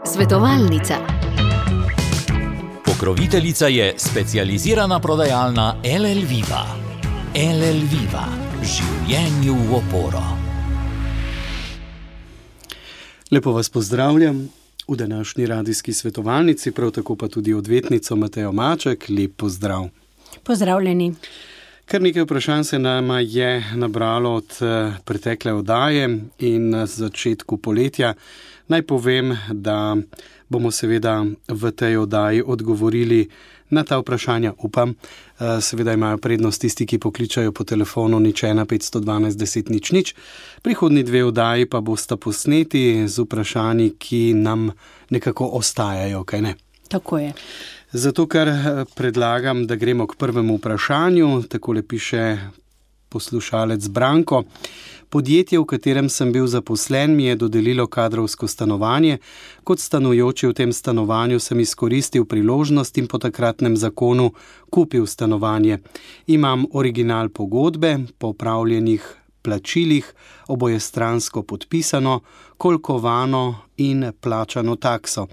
Svetovalnica. Pokroviteljica je specializirana prodajalna LL Viva. LL Viva. Življenju v oporo. Lepo vas pozdravljam v današnji radijski svetovalnici, prav tako pa tudi odvetnico Matejo Maček. Lep pozdrav. Pozdravljeni. Kar nekaj vprašanj se nama je nabralo od pretekle oddaje in na začetku poletja. Naj povem, da bomo seveda v tej oddaji odgovorili na ta vprašanja, upam. Seveda imajo prednost tisti, ki pokličajo po telefonu 01 512 10 00. Prihodnji dve oddaji pa bosta posneti z vprašanji, ki nam nekako ostajajo, kaj ne? Tako je. Zato, ker predlagam, da gremo k prvemu vprašanju. Takole piše poslušalec Branko. Podjetje, v katerem sem bil zaposlen, mi je dodelilo kadrovsko stanovanje. Kot stanujoči v tem stanovanju sem izkoristil priložnost in po takratnem zakonu kupil stanovanje. Imam original pogodbe, po opravljenih plačilih, obojestransko podpisano, kolkovano in plačano takso.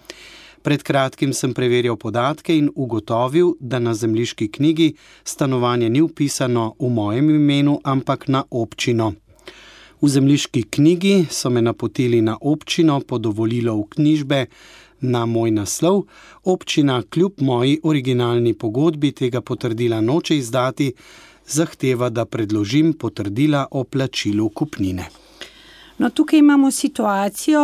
Pred kratkim sem preverjal podatke in ugotovil, da na zemljiški knjigi stanovanje ni vpisano v mojem imenu, ampak na občino. V zemljiški knjigi so me napotili na občino po dovolilo vknjižbe na moj naslov. Občina kljub moji originalni pogodbi tega potrdila noče izdati, zahteva, da predložim potrdila o plačilu kupnine. No, tukaj imamo situacijo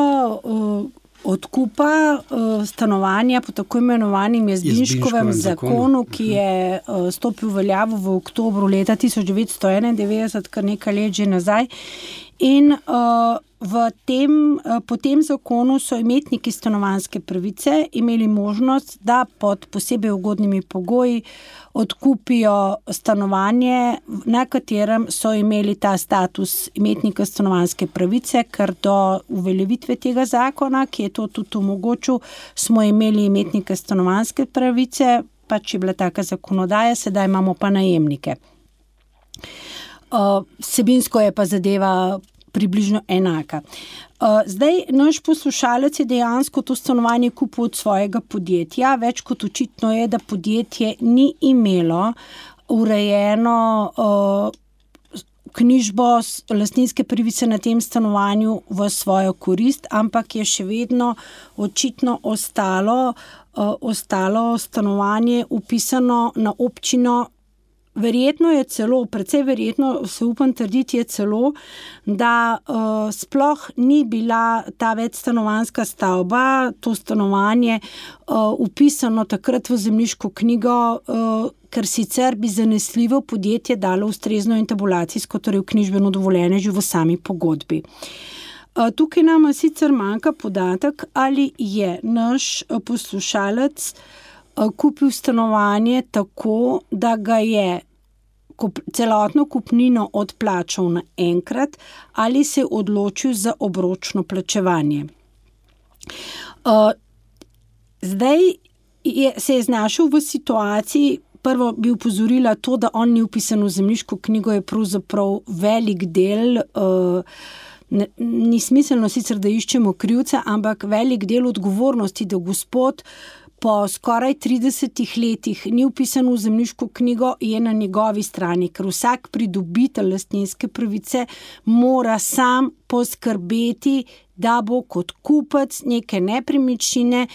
odkupa stanovanja po tako imenovanem Jazbinškovem zakonu, ki je stopil v veljavo v oktobru leta 1991, kar nekaj let že nazaj. In po tem zakonu so imetniki stanovanjske pravice imeli možnost, da pod posebej ugodnimi pogoji odkupijo stanovanje, na katerem so imeli ta status imetnika stanovanjske pravice, ker do uveljavitve tega zakona, ki je to tudi omogočil, smo imeli imetnike stanovanjske pravice, pač je bila taka zakonodaja, sedaj imamo pa najemnike. Vsebinsko je pa zadeva približno enaka. Zdaj, naš poslušalec je dejansko to stanovanje kupil od svojega podjetja. Več kot očitno je, da podjetje ni imelo urejeno knjižbo lastninske pravice na tem stanovanju v svojo korist, ampak je še vedno očitno ostalo stanovanje vpisano na občino. Verjetno je celo, precej verjetno, se upam trditi, je celo, da sploh ni bila ta večstanovanjska stavba, to stanovanje, vpisano takrat v zemljiško knjigo, ker sicer bi zanesljivo podjetje dalo ustrezno intabulacijsko, torej vknjižbeno dovoljenje že v sami pogodbi. Tukaj nam sicer manjka podatek, ali je naš poslušalec kupil stanovanje tako, da ga je celotno kupnino odplačal naenkrat ali se je odločil za obročno plačevanje. Zdaj se je znašel v situaciji, prvo bi upozorila to, da on ni vpisan v zemljiško knjigo, je pravzaprav velik del, ni smiselno sicer, da iščemo krivca, ampak velik del odgovornosti, da gospod po skoraj 30 letih ni vpisan v zemljiško knjigo, je na njegovi strani, ker vsak pridobitelj lastninske pravice mora sam poskrbeti, da bo kot kupec neke nepremičnine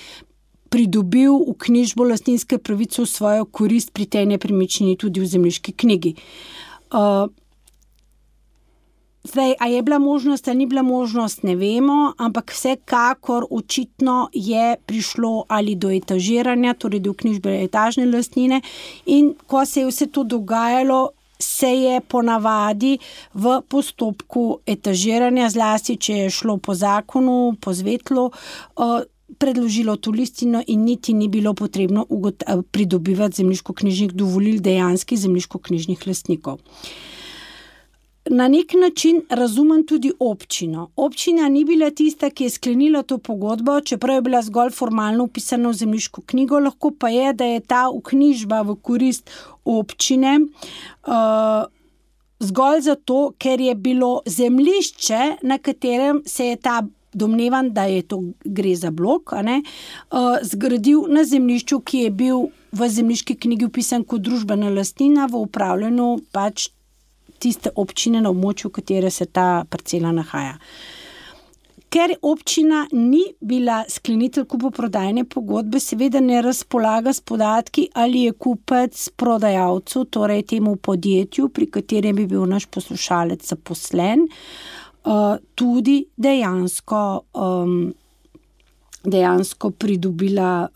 pridobil vknjižbo lastninske pravice v svojo korist pri tej nepremičnini tudi v zemljiški knjigi. Zdaj, a je bila možnost, ali ni bila možnost, ne vemo, ampak vsekakor očitno je prišlo ali do etažiranja, torej do vknjižbe etažne lastnine, in ko se je vse to dogajalo, se je ponavadi v postopku etažiranja, zlasti če je šlo po zakonu, po zvetlu, predložilo to listino in niti ni bilo potrebno pridobivati zemljiško-knjižnih dovolil dejanskih zemljiško-knjižnih lastnikov. Na nek način razumem tudi občino. Občina ni bila tista, ki je sklenila to pogodbo, čeprav je bila zgolj formalno vpisana v zemljiško knjigo, lahko pa je, da je ta vknjižba v korist občine zgolj zato, ker je bilo zemljišče, na katerem se je ta domnevam, da gre za blok, zgradil na zemljišču, ki je bil v zemljiški knjigi vpisan kot družbena lastnina v upravljanju pač tiste občine na območju, v katere se ta parcela nahaja. Ker občina ni bila sklenitelj kupoprodajne pogodbe, seveda ne razpolaga s podatki, ali je kupec prodajalcu, torej temu podjetju, pri katerem bi bil naš poslušalec zaposlen, tudi dejansko pridobila,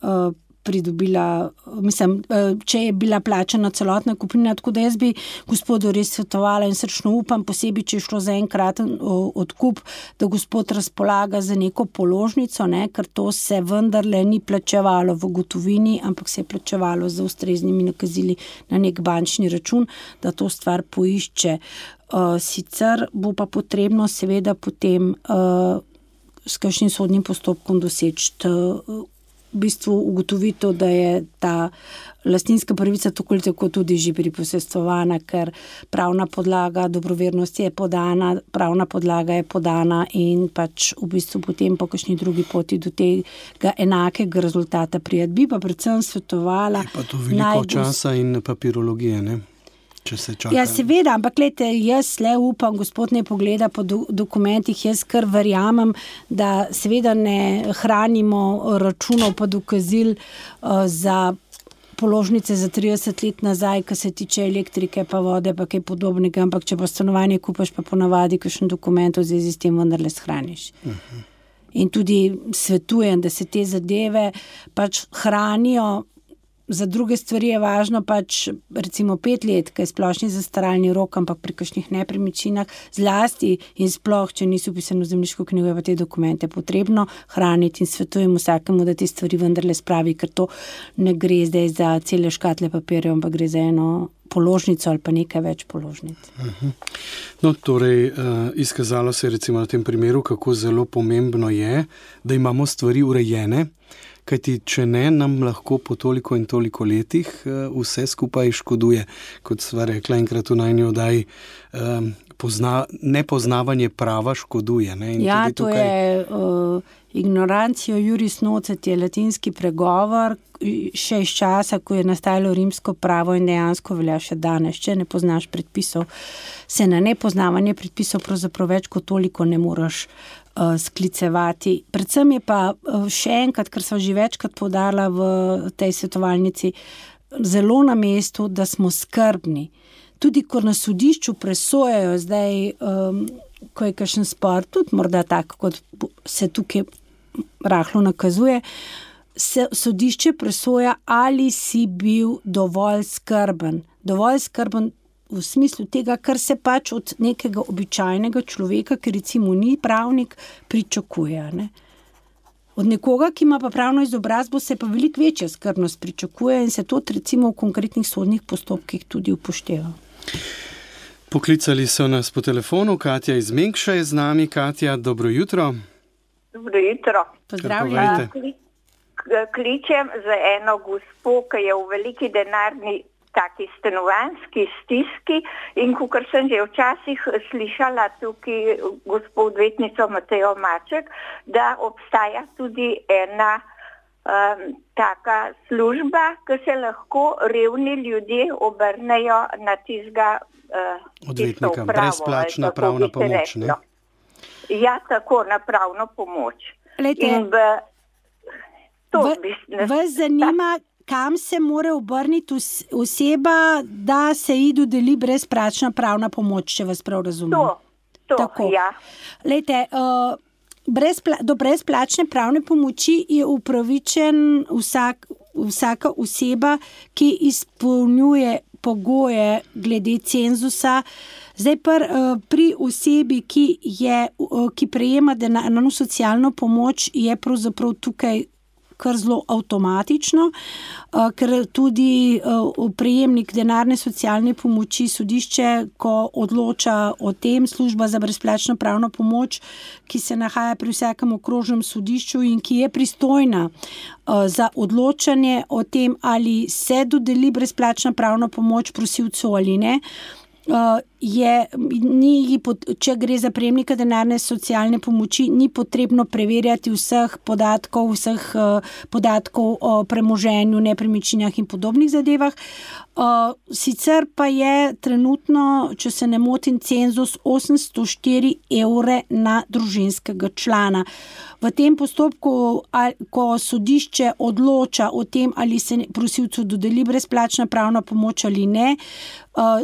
če je bila plačana celotna kupnina, tako da jaz bi gospodu res svetovala in srčno upam, posebej, če je šlo za enkraten odkup, da gospod razpolaga za neko položnico, ker to se vendarle ni plačevalo v gotovini, ampak se je plačevalo z ustreznimi nakazili na nek bančni račun, da to stvar poišče. Sicer bo pa potrebno seveda potem s kakšnim sodnim postopkom doseči v bistvu ugotovitev, da je ta lastninska pravica tako tudi že priposestvovana, ker pravna podlaga dobrovernosti je podana, pravna podlaga je podana in pač v bistvu potem po kakšni drugi poti do tega enakega rezultata prijeti. Bi pa predvsem svetovala... Je pa to veliko časa in papirologije, ne? Ja, seveda, ampak glejte, jaz le upam, gospod ne pogleda po dokumentih, jaz kar verjamem, da seveda ne hranimo računov pa dokazil za položnice za 30 let nazaj, kar se tiče elektrike pa vode pa kaj podobnega, ampak če pa stanovanje kupaš, pa ponavadi kakšen dokument v zvezi s tem vendarle shraniš. In tudi svetujem, da se te zadeve pač hranijo. Za druge stvari je važno pač recimo 5 let, kaj je splošni zastaralni rok, ampak pri kakšnih nepremičninah zlasti in sploh, če niso vpisani v zemljiško knjigo, je pa te dokumente potrebno hraniti in svetujem vsakemu, da te stvari vendarle spravi, ker to ne gre zdaj za cele škatle papirjev, ampak gre za eno položnico ali pa nekaj več položnic. No, torej, izkazalo se je recimo na tem primeru, kako zelo pomembno je, da imamo stvari urejene, kajti če ne, nam lahko po toliko in toliko letih vse skupaj škoduje. Kot sva rekla enkrat v najni oddaji, nepoznavanje prava škoduje. Ne? In ja, tudi tukaj... to je ignorancio juris nocet, je latinski pregovor, še iz časa, ko je nastajalo rimsko pravo in dejansko velja še danes. Če ne poznaš predpisov, se na nepoznavanje predpisov pravzaprav več kot toliko ne moreš sklicevati. Predvsem je pa še enkrat, kar sva že večkrat poudarila v tej svetovalnici, zelo na mestu, da smo skrbni. Tudi, ko na sodišču presojajo zdaj, ko je kakšen spor, tudi morda tako, kot se tukaj rahlo nakazuje, se sodišče presoja, ali si bil dovolj skrben. Dovolj skrben v smislu tega, kar se pač od nekega običajnega človeka, ki recimo ni pravnik, pričakuje. Ne? Od nekoga, ki ima pa pravno izobrazbo, se pa veliko večja skrbnost pričakuje in se to recimo v konkretnih sodnih postopkih tudi upošteva. Poklicali so nas po telefonu, Katja iz Mengša je z nami. Katja, dobro jutro. Dobro jutro. Pozdravljena. Kličem za eno gospo, ki je v veliki denarni taki stanovanjski stiski in kakor sem že včasih slišala tukaj gospod odvetnico Matejo Maček, da obstaja tudi ena taka služba, ki se lahko revni ljudje obrnejo na tistega odvetnika, brezplačna pravna pomoč, ne? Ja, tako, na pravno pomoč. Lejte, vas zanima, kam se mora obrniti oseba, da se ji dodeli brezplačna pravna pomoč, če vas prav razumem? To, ja. Lejte, do brezplačne pravne pomoči je upravičen vsaka oseba, ki izpolnjuje pogoje glede cenzusa. Zdaj pri osebi, ki prejema denarno socialno pomoč, je pravzaprav tukaj kar zelo avtomatično, ker tudi prejemnik denarne socialne pomoči sodišče, ko odloča o tem, služba za brezplačno pravno pomoč, ki se nahaja pri vsakem okrožnem sodišču in ki je pristojna za odločanje o tem, ali se dodeli brezplačna pravna pomoč prosilcu ali ne, če gre za prejemnika denarne socialne pomoči, ni potrebno preverjati vseh podatkov o premoženju, nepremičninah in podobnih zadevah. Sicer pa je trenutno, če se ne motim, cenzus 804 evre na družinskega člana. V tem postopku, ko sodišče odloča o tem, ali se prosilcu dodeli brezplačna pravna pomoč ali ne,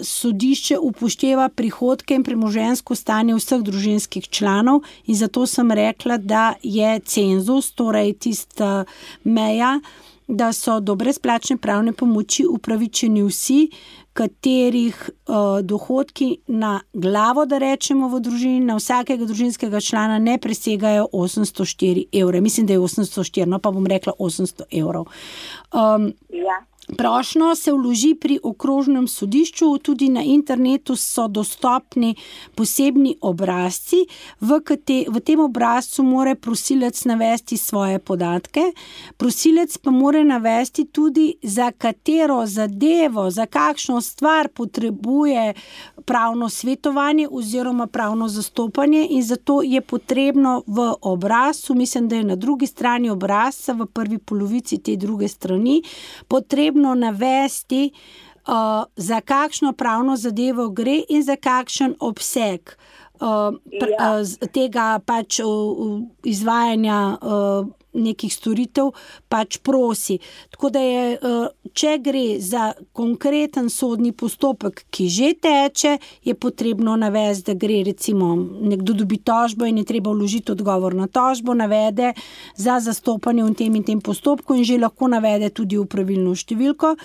sodišče upošteva prihodke in premoženjsko stanje vseh družinskih članov in zato sem rekla, da je cenzus, torej tista meja, da so do brezplačne pravne pomoči upravičeni vsi, katerih dohodki na glavo, da rečemo v družini, na vsakega družinskega člana ne presegajo 804 evre. Mislim, da je 804, no pa bom rekla 800 evrov. Prošnjo se vloži pri okrožnem sodišču, tudi na internetu so dostopni posebni obrazci. V tem obrazcu mora prosilec navesti svoje podatke. Prosilec pa mora navesti tudi, za katero zadevo, za kakšno stvar potrebuje pravno svetovanje oziroma pravno zastopanje in zato je potrebno v obrazcu, mislim, da je na drugi strani obrazca, v prvi polovici te druge strani, potrebno navesti, za kakšno pravno zadevo gre in za kakšen obseg tega pač izvajanja nekih storitev pač prosi. Tako da je, če gre za konkreten sodni postopek, ki že teče, je potrebno navesti, da gre recimo nekdo dobi tožbo in je treba vložiti odgovor na tožbo, navede za zastopanje v tem postopku in že lahko navede tudi pravilno številko.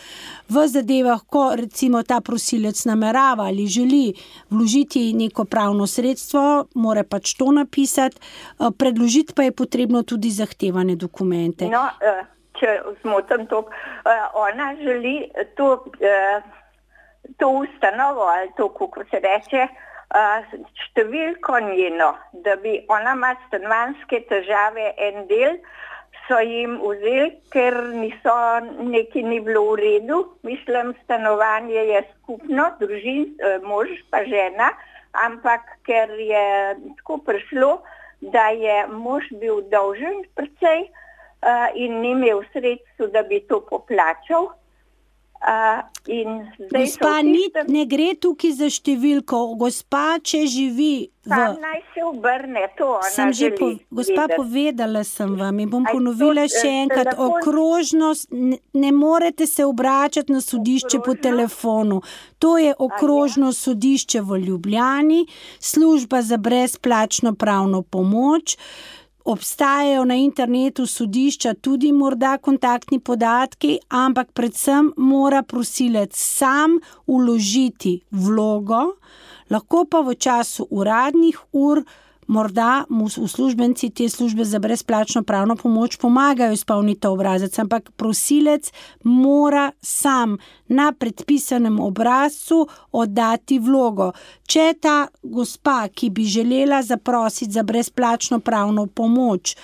V zadevah, ko recimo ta prosilec namerava ali želi vložiti neko pravno sredstvo, mora pač to napisati, predložiti pa je potrebno tudi zahtevane dokumente. No, če zmotim to, ona želi to ustanovo ali to, kako se reče, številko njeno, da bi ona ima stanovanjske težave, en del so jim vzeli, ker nekaj ni bilo v redu. Mislim, stanovanje je skupno, mož pa žena, ampak ker je tako prišlo, da je mož bil dolžen precej in ni imel sredstev, da bi to poplačal. Gospa, ne gre tukaj za številko. Gospa, če živi naj se obrne, to ona želi. Gospa, povedala sem vam in bom ponovila še enkrat. Okrožnost, ne morete se obračati na sodišče po telefonu. To je okrožno sodišče v Ljubljani, služba za brezplačno pravno pomoč. Obstajajo na internetu sodišča tudi morda kontaktni podatki, ampak predvsem mora prosilec sam vložiti vlogo, lahko pa v času uradnih ur morda mu uslužbenci te službe za brezplačno pravno pomoč pomagajo izpolniti obrazec, ampak prosilec mora sam na predpisanem obrazcu oddati vlogo. Če ta gospa, ki bi želela zaprositi za brezplačno pravno pomoč,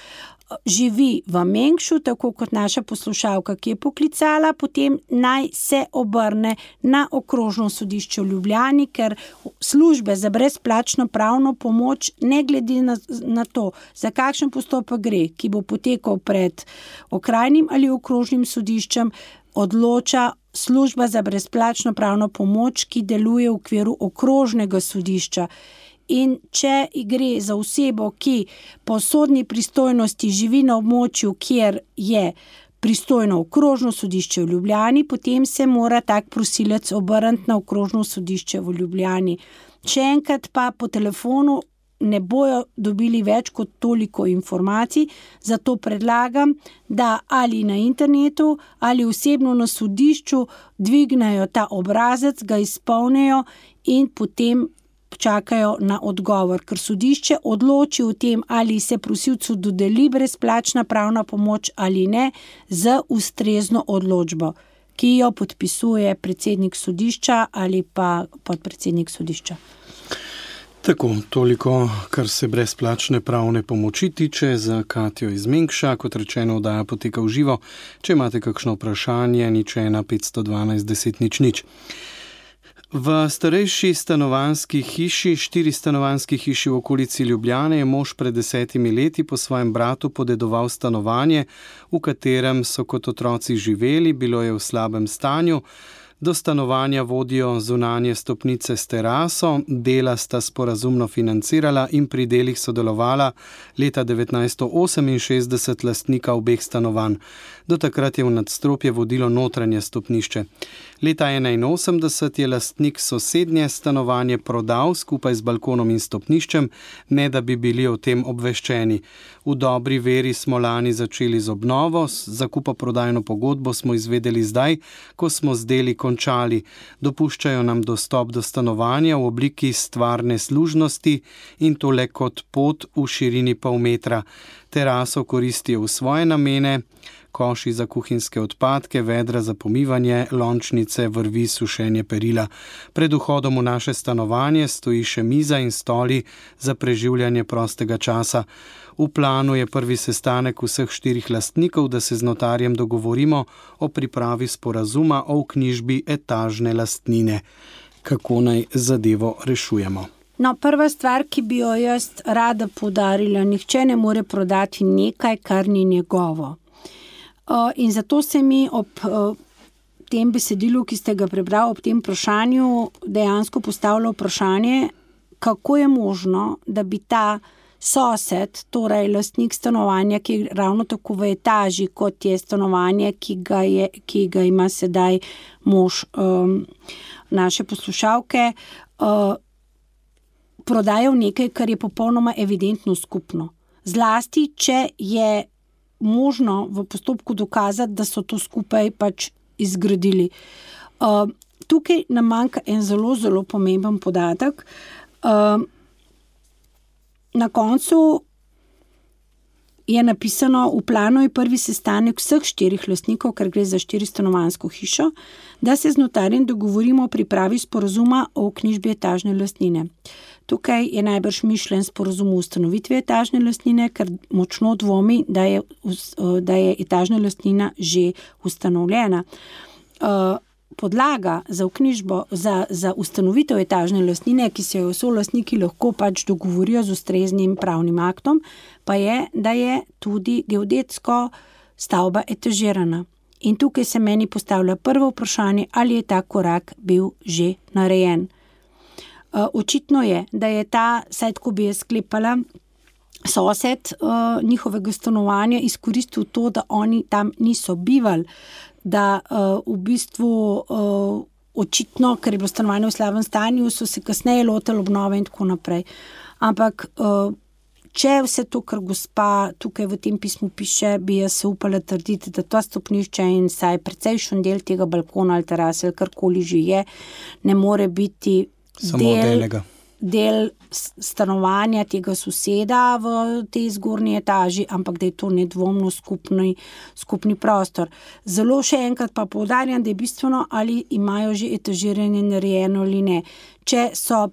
živi v Mengšu, tako kot naša poslušalka, ki je poklicala, potem naj se obrne na okrožno sodišče v Ljubljani, ker službe za brezplačno pravno pomoč, ne glede na to, za kakšen postopek gre, ki bo potekal pred okrajnim ali okrožnim sodiščem, odloča služba za brezplačno pravno pomoč, ki deluje v okviru okrožnega sodišča. In če gre za osebo, ki po sodni pristojnosti živi na območju, kjer je pristojno okrožno sodišče v Ljubljani, potem se mora tak prosilec obrniti na okrožno sodišče v Ljubljani. Še enkrat pa po telefonu ne bojo dobili več kot toliko informacij, zato predlagam, da ali na internetu ali osebno na sodišču dvignejo ta obrazec, ga izpolnijo in potem čakajo na odgovor, ker sodišče odloči o tem, ali se prosilcu dodeli brezplačna pravna pomoč ali ne, z ustrezno odločbo, ki jo podpisuje predsednik sodišča ali pa podpredsednik sodišča. Tako, toliko, kar se brezplačne pravne pomoči tiče za Katjo iz Mengša. Kot rečeno, oddaja poteka v živo. Če imate kakšno vprašanje, 01 512 10 00. V starejši stanovanjski hiši, 4-stanovanjski hiši v okolici Ljubljane, je mož pred 10 leti po svojem bratu podedoval stanovanje, v katerem so kot otroci živeli, bilo je v slabem stanju. Do stanovanja vodijo zunanje stopnice s teraso, dela sta sporazumno financirala in pri delih sodelovala leta 1968 lastnika obeh stanovanj. Do takrat je v nadstropje vodilo notranje stopnišče. Leta 1981 je lastnik sosednje stanovanje prodal skupaj z balkonom in stopniščem, ne da bi bili o tem obveščeni. V dobri veri smo lani začeli z obnovo, zakupo-prodajno pogodbo smo izvedeli zdaj, ko smo z deli končali. Dopuščajo nam dostop do stanovanja v obliki stvarne služnosti in to le kot pot v širini pol metra. Teraso koristijo v svoje namene, koši za kuhinjske odpadke, vedra za pomivanje, lončnice, vrvi, sušenje perila. Pred vhodom v naše stanovanje stoji še miza in stoli za preživljanje prostega časa. V planu je prvi sestanek vseh 4 lastnikov, da se z notarjem dogovorimo o pripravi sporazuma o vknjižbi etažne lastnine. Kako naj zadevo rešujemo? No, prva stvar, ki bi jo jaz rada poudarila, nihče ne more prodati nekaj, kar ni njegovo. In zato se mi ob tem besedilu, ki ste ga prebrali, ob tem vprašanju dejansko postavlja vprašanje, kako je možno, da bi ta sosed, torej lastnik stanovanja, ki je ravno tako v etaži, kot je stanovanje, ki ga ima sedaj mož naše poslušalke, prodajal nekaj, kar je popolnoma evidentno skupno. Zlasti, če je možno v postopku dokazati, da so to skupaj pač izgradili. Tukaj nam manjka en zelo, zelo pomemben podatek. Na koncu je napisano, v planu je prvi sestanek vseh 4 lastnikov, ker gre za 4-stanovanjsko hišo, da se z notarjem dogovorimo o pripravi sporazuma o vknjižbi etažne lastnine. Tukaj je najbrž mišljen sporazum o ustanovitvi etažne lastnine, ker močno dvomi, da je etažna lastnina že ustanovljena. Podlaga za vknjižbo, za ustanovitev etažne lastnine, ki se jo solastniki lahko pač dogovorijo z ustreznim pravnim aktom, pa je, da je tudi geodetsko stavba etažirana. In tukaj se meni postavlja prvo vprašanje, ali je ta korak bil že narejen. Očitno je, da je ta, saj tako bi je sklepala, sosed njihovega stanovanja izkoristil to, da oni tam niso bivali, da v bistvu očitno, ker je bilo stanovanje v slabem stanju, so se kasneje lotili obnove in tako naprej. Ampak če vse to, kar gospa tukaj v tem pismu piše, bi jaz se upala trditi, da to stopnišče in saj precejšen del tega balkona ali terase ali karkoli že je, ne more biti del stanovanja tega soseda v tej zgornji etaži, ampak da je to nedvomno skupni prostor. Zelo še enkrat pa poudarjam, da je bistveno, ali imajo že etažiranje narejeno ali ne. Če so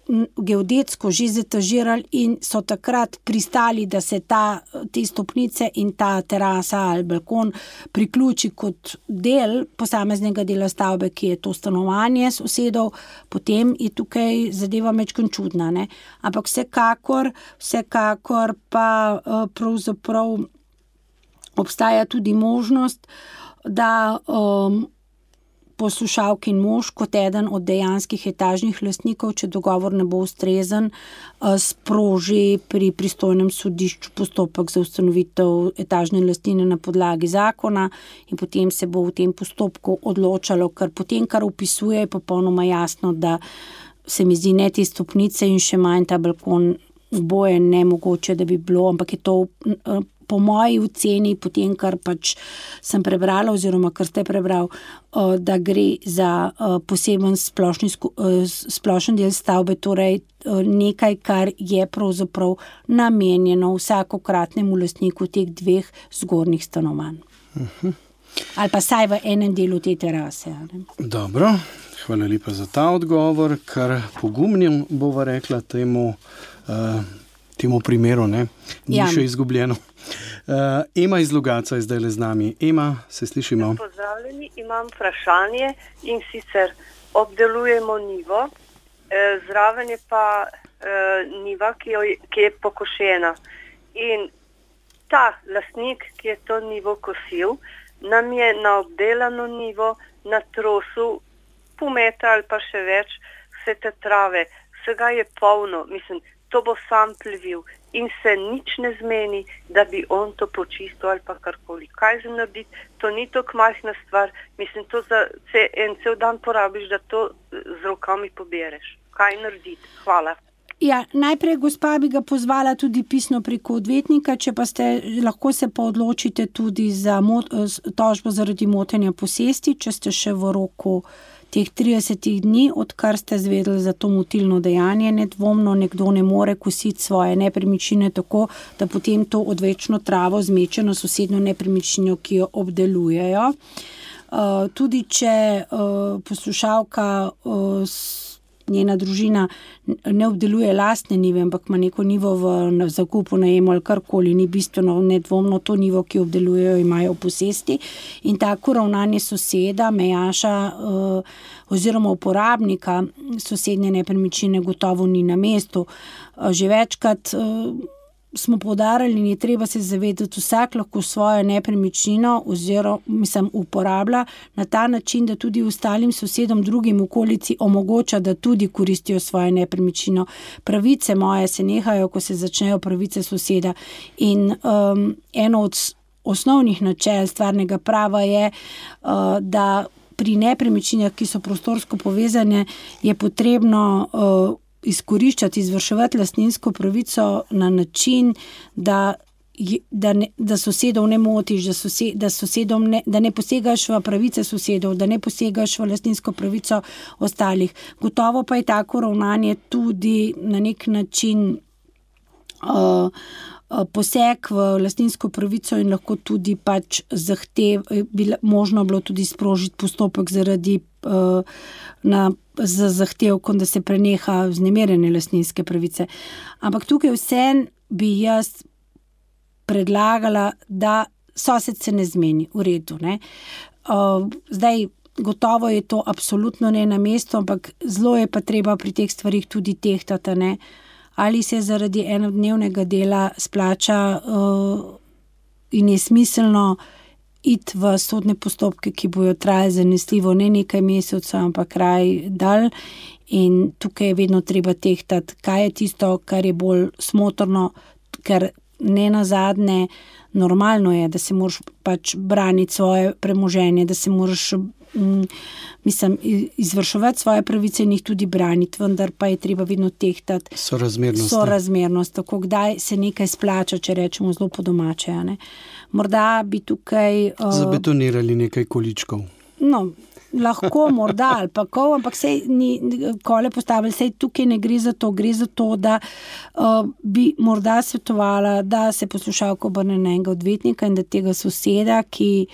geodetsko že zetažirali in so takrat pristali, da se te stopnice in ta terasa ali balkon priključi kot del posameznega dela stavbe, ki je to stanovanje sosedov, potem je tukaj zadeva majčkeno čudna, ne? Ampak vsekakor pa pravzaprav obstaja tudi možnost, da poslušalki in mož kot eden od dejanskih etažnih lastnikov, če dogovor ne bo ustrezen, sproži pri pristojnem sodišču postopek za ustanovitev etažne lastnine na podlagi zakona in potem se bo v tem postopku odločalo, ker potem, kar opisuje, je popolnoma jasno, da se mi zdi ne te stopnice in še manj ta balkon oboje nemogoče, da bi bilo, ampak je to po moji oceni, potem, kar pač sem prebrala oziroma kar ste prebral, da gre za poseben splošen del stavbe, torej nekaj, kar je pravzaprav namenjeno vsakokratnemu lastniku teh 2 zgornjih stanovanj. Ali pa saj v enem delu te terase. Ne? Dobro, hvala lepa za ta odgovor, kar pogumnim bova rekla temu primeru, ne? Ni še izgubljeno. Ema iz Logatca je zdaj le z nami. Ema, se slišimo? Pozdravljeni, imam vprašanje in sicer obdelujemo nivo, zraven je pa niva, ki je pokošena. In ta lastnik, ki je to nivo kosil, nam je na obdelano nivo na trosu pol metra ali pa še več vse te trave. Vsega je polno, mislim, to bo sam plevil in se nič ne zmeni, da bi on to počistil ali pa karkoli. Kaj za narediti? To ni tako majhna stvar. Mislim, to za cel dan porabiš, da to z rokami pobereš. Kaj narediti? Hvala. Ja, najprej, gospa, bi ga pozvala tudi pisno preko odvetnika, če pa lahko se pa odločite tudi za tožbo zaradi motenja posesti, če ste še v roku teh 30 dni, odkar ste zvedeli za to motilno dejanje. Nedvomno nekdo ne more kositi svoje nepremičnine tako, da potem to odvečno travo zmeče na sosednjo nepremičnino, ki jo obdelujejo. Tudi če poslušalka njena družina ne obdeluje lastne nive, ampak ima neko nivo v zakupu, najemu ali karkoli, ni bistveno, nedvomno to nivo, ki obdelujejo, imajo v posesti. In tako ravnanje soseda, mejaša oziroma uporabnika sosednje nepremičnine gotovo ni na mestu. Že večkrat smo poudarjali in je treba se zavedati, vsak lahko svojo nepremičnino uporablja na ta način, da tudi ostalim sosedom, drugim okolici omogoča, da tudi koristijo svojo nepremičnino. Pravice moje se nehajo, ko se začnejo pravice soseda. In eno od osnovnih načel stvarnega prava je, da pri nepremičninah, ki so prostorsko povezane, je potrebno izkoriščati, izvrševati lastninsko pravico na način, da sosedov ne motiš, da ne posegaš v pravice sosedov, da ne posegaš v lastninsko pravico ostalih. Gotovo pa je tako ravnanje tudi na nek način poseg v lastninsko pravico in lahko tudi pač možno bilo tudi sprožiti postopek zaradi z zahtevkom, da se preneha vznemirjanje lastninske pravice. Ampak tukaj vseeno bi jaz predlagala, da sosed se ne zmeni, v redu, ne. Zdaj, gotovo je to absolutno ne na mestu, ampak zelo je pa treba pri teh stvarih tudi tehtati, ne. Ali se zaradi enodnevnega dela splača in je smiselno iti v sodne postopke, ki bojo trajali zanesljivo ne nekaj mesecev, ampak kraj dalj. In tukaj je vedno treba tehtati, kaj je tisto, kar je bolj smotrno, ker ne nazadnje normalno je, da se moraš pač braniti svoje premoženje, da se moraš izvrševati svoje pravice in jih tudi braniti, vendar pa je treba vedno tehtati sorazmernost, tako kdaj se nekaj splača, če rečemo zelo po domače. Morda bi tukaj zabetonirali nekaj količkov. No, lahko, morda, ali pa ampak sej ni kole postavili, sej tukaj ne gre za to, gre za to, da bi morda svetovala, da se poslušalka obrne na enega odvetnika in da tega soseda, ki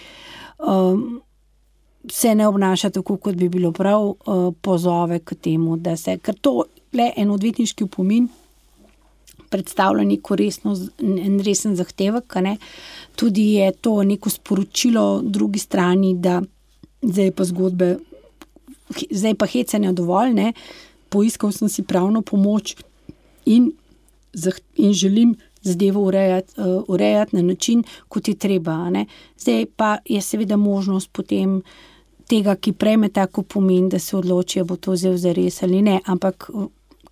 se ne obnaša tako, kot bi bilo prav, pozove k temu, da se, ker to le en odvetniški opomin predstavlja neko resen zahtevek, ne? Tudi je to neko sporočilo drugi strani, da zdaj pa hecanja dovolj, ne? Poiskal sem si pravno pomoč in želim zadevo urejati na način, kot je treba, ne? Zdaj pa je seveda možnost potem tega, ki prejme tako pomen, da se odloči, bo to vzel zares ali ne, ampak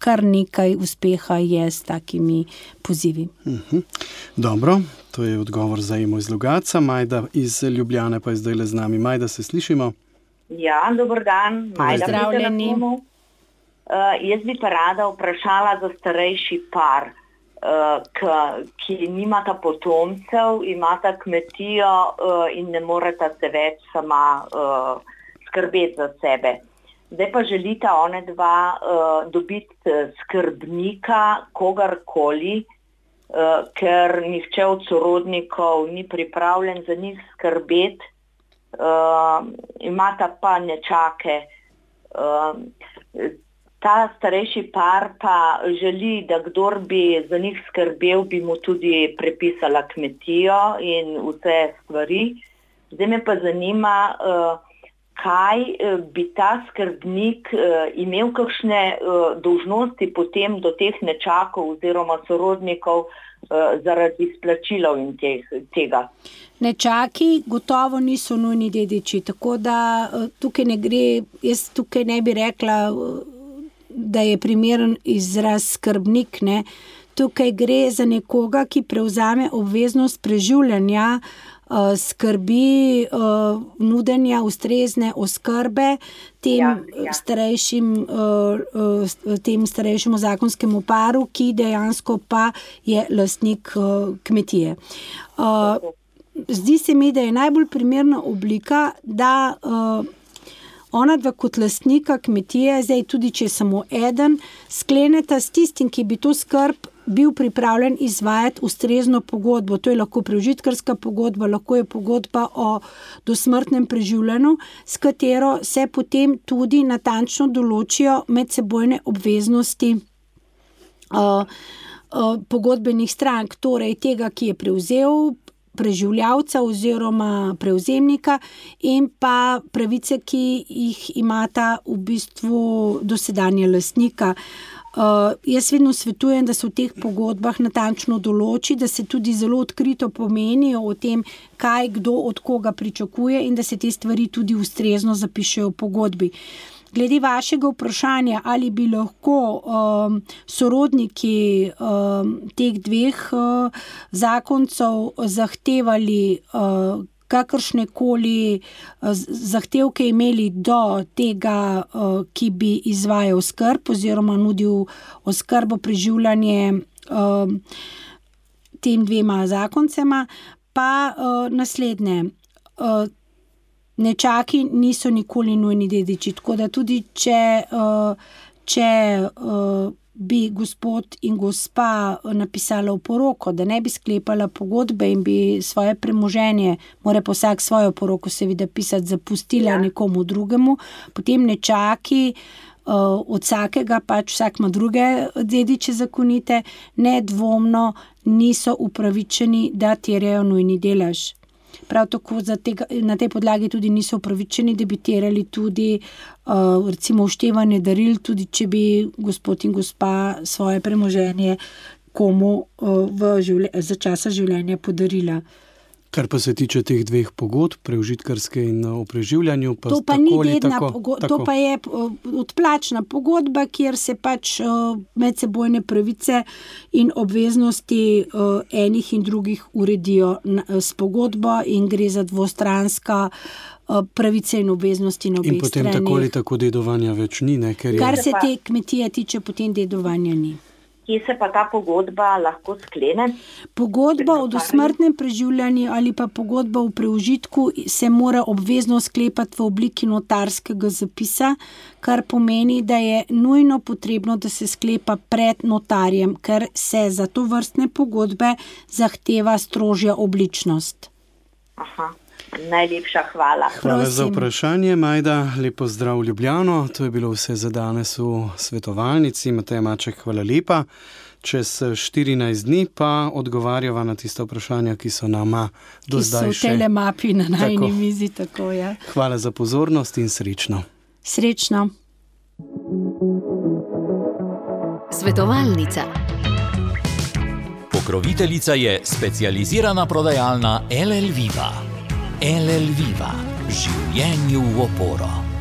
kar nekaj uspeha je s takimi pozivi. Dobro, to je odgovor za Emo iz Logatca. Majda iz Ljubljane pa je zdaj z nami. Majda, se slišimo? Ja, dober dan. Majda, pozdravljeni. Jaz bi pa rada vprašala za starejši par, ki nimata potomcev, imata kmetijo in ne moreta se več sama skrbeti za sebe. Zdaj pa želita one dva dobiti skrbnika, kogarkoli, ker nihče od sorodnikov ni pripravljen za njih skrbeti, imata pa nečake. Ta starejši par pa želi, da kdor bi za njih skrbel, bi mu tudi prepisala kmetijo in vse stvari. Zdaj me pa zanima, kaj bi ta skrbnik imel kakšne dolžnosti potem do teh nečakov oziroma sorodnikov zaradi izplačilov in tega. Nečaki gotovo niso nujni dediči, tako da tukaj ne gre, jaz tukaj ne bi rekla, da je primeren izraz skrbnik, ne. Tukaj gre za nekoga, ki prevzame obveznost preživljanja, skrbi, nudenja ustrezne oskrbe tem starejšemu zakonskemu paru, ki dejansko pa je lastnik kmetije. Zdi se mi, da je najbolj primerna oblika, da ona dva kot lastnika kmetije, zdaj tudi če je samo eden, skleneta s tistim, ki bi to skrb bil pripravljen izvajati ustrezno pogodbo. To je lahko prežitkarska pogodba, lahko je pogodba o dosmrtnem preživljanju, s katero se potem tudi natančno določijo medsebojne obveznosti pogodbenih strank, torej tega, ki je prevzel preživljavca oziroma prevzemnika in pa pravice, ki jih imata v bistvu dosedanja lastnika. Jaz vedno svetujem, da se v teh pogodbah natančno določi, da se tudi zelo odkrito pomenijo o tem, kaj kdo od koga pričakuje in da se te stvari tudi ustrezno zapišejo v pogodbi. Glede vašega vprašanja, ali bi lahko sorodniki teh dveh zakoncev zahtevali kakršnekoli zahtevke imeli do tega, ki bi izvajal skrb oziroma nudil oskrbo, preživljanje tem dvema zakoncema, pa naslednje. Nečaki niso nikoli nujni dediči, tako da tudi če bi gospod in gospa napisala v poroko, da ne bi sklepala pogodbe in bi svoje premoženje, mora pa vsak svojo poroko seveda pisati, zapustila nekomu drugemu, potem nečaki od vsakega, pač vsak ima druge dediče zakonite, nedvomno niso upravičeni, da terjajo nujni delež. Prav tako na tej podlagi tudi niso upravičeni, da bi terjali tudi recimo vštevanje daril, tudi če bi gospod in gospa svoje premoženje komu za časa življenja podarila. Kar pa se tiče teh dveh pogodb, preužitkarske in o preživljanju, pa to pa ni dedna pogodba, to pa je odplačna pogodba, kjer se pač medsebojne pravice in obveznosti enih in drugih uredijo s pogodbo in gre za dvostranska pravice in obveznosti na obeh straneh. In potem tako ali tako dedovanja več ni, ne? Kar se te kmetije tiče, potem dedovanja ni. Kje se pa ta pogodba lahko sklene? Pogodba o dosmrtnem preživljanju ali pa pogodba o preužitku se mora obvezno sklepati v obliki notarskega zapisa, kar pomeni, da je nujno potrebno, da se sklepa pred notarjem, ker se za to vrstne pogodbe zahteva strožja obličnost. Aha. Najlepša hvala. Hvala za vprašanje, Majda. Lepo zdrav v Ljubljano. To je bilo vse za danes v svetovalnici. Mateja Maček, hvala lepa. Čez 14 dni pa odgovarjava na tista vprašanja, ki so nama do zdaj še... Ki so v telemapi na najni mizi, tako je. Hvala za pozornost in srečno. Srečno. Svetovalnica. Pokroviteljica je specializirana prodajalna LL Viva. LL Viva. Življenju v oporo.